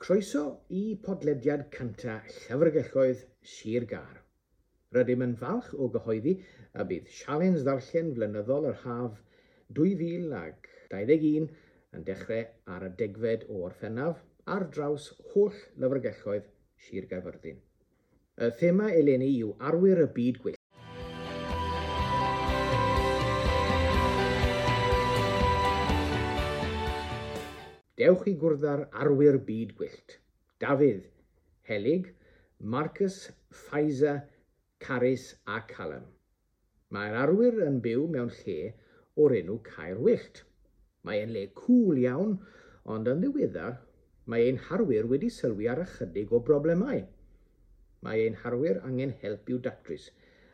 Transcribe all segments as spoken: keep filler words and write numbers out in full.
Croeso i podlediad cynta Llyfrgelloedd Sir Gâr. Rydym yn falch o gyhoeddi y bydd sialens ddarllen flynyddol yr haf dwy fil ag dau ddeg un yn dechrau ar y degfed o Orffennaf ar draws holl lyfrgelloedd Sir Gaerfyrddin. Y thema eleni yw Arwyr y Byd Gwyllt. Dewch i gwrdd â'r Arwyr Byd Gwyllt. Dafydd, Helig, Marcus, Faiza, Carys a Callum. Mae'r arwyr yn byw mewn lle o'r enw Caer Wyllt. Mae e'n le cŵl iawn, ond yn ddiweddar mae ein harwyr wedi sylwi ar ychydig o broblemau. Mae ein harwyr angen help i'w datrys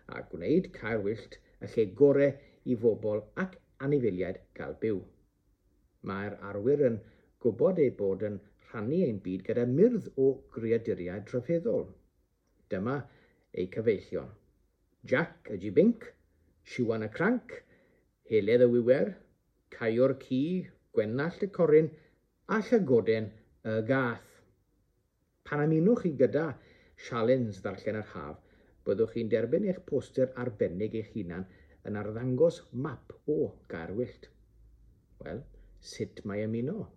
a gwneud Caer Wyllt y lle gorau i bobl ac anifeiliaid gael byw. Mae'r arwyr yn gwybod eu bod yn rhannu ein byd gyda myrdd o greaduriaid rhyfeddol. Dyma eu cyfeillion. Jack y Jibinc, Siwan y Cranc, Heledd y Wiwer, Caio'r Ci, Gwenallt y Coryn a Llygoden y Gath. Pan ymunwch chi gyda sialens ddarllen yr haf, byddwch chi'n derbyn eich poster arbennig eich hunan yn arddangos map o Gaer Wyllt. Wel, sut mae ymuno?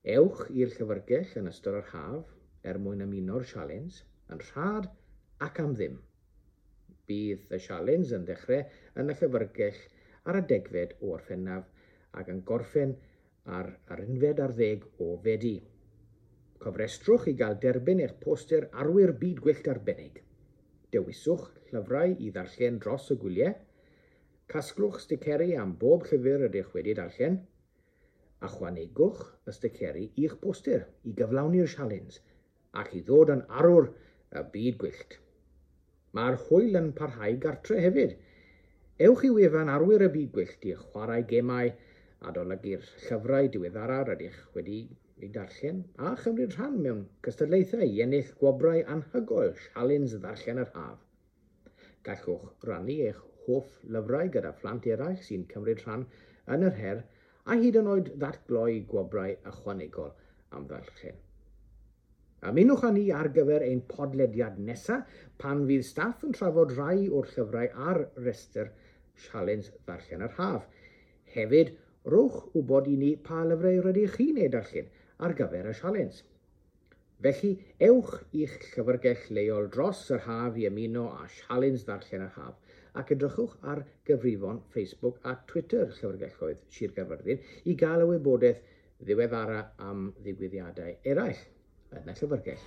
Ewch i'r llyfrgell yn ystod yr haf er mwyn ymuno'r sialens yn rhad ac am ddim. Bydd y sialens yn dechrau yn y llyfrgell ar y degfed o Orffennaf ac yn gorffen ar yr unfed ar ddeg o Fedi. Cofrestrwch i gael derbyn eich poster Arwyr Byd Gwyllt arbennig. Dewiswch llyfrau i ddarllen dros y gwyliau. Casglwch sticeri am bob llyfr ydych wedi darllen. Ychwanegwch y sticeri i'ch poster i gyflawni'r sialens ac i ddod yn arwr y byd gwyllt. Mae'r hwyl yn parhau gartre hefyd. Ewch i wefan Arwyr y Byd Gwyllt i chwarae gemau, adolygu'r llyfrau diweddara rydych wedi eu darllen a chymryd rhan mewn cystadlaethau i ennill gwobrau anhygoel sialens ddarllen yr haf. Gallwch rannu eich hoff lyfrau gyda phlant eraill sy'n cymryd rhan yn yr her a hyd yn oed ddatgloi gwobrau ychwanegol am ddarllen. Ymunwch â ni ar gyfer ein podlediad nesaf pan fydd staff yn trafod rhai o'r llyfrau ar restr sialens ddarllen yr haf. Hefyd, rhowch wybod i ni pa lyfrau rydych chi'n eu darllen ar gyfer y sialens. Felly, ewch i'ch llyfrgell leol dros yr haf i ymuno â sialens ddarllen yr haf ac edrychwch ar gyfrifon Facebook a Twitter Llyfrgelloedd Sir Gaerfyrddin i gael y wybodaeth ddiweddara am ddigwyddiadau eraill yn y llyfrgell.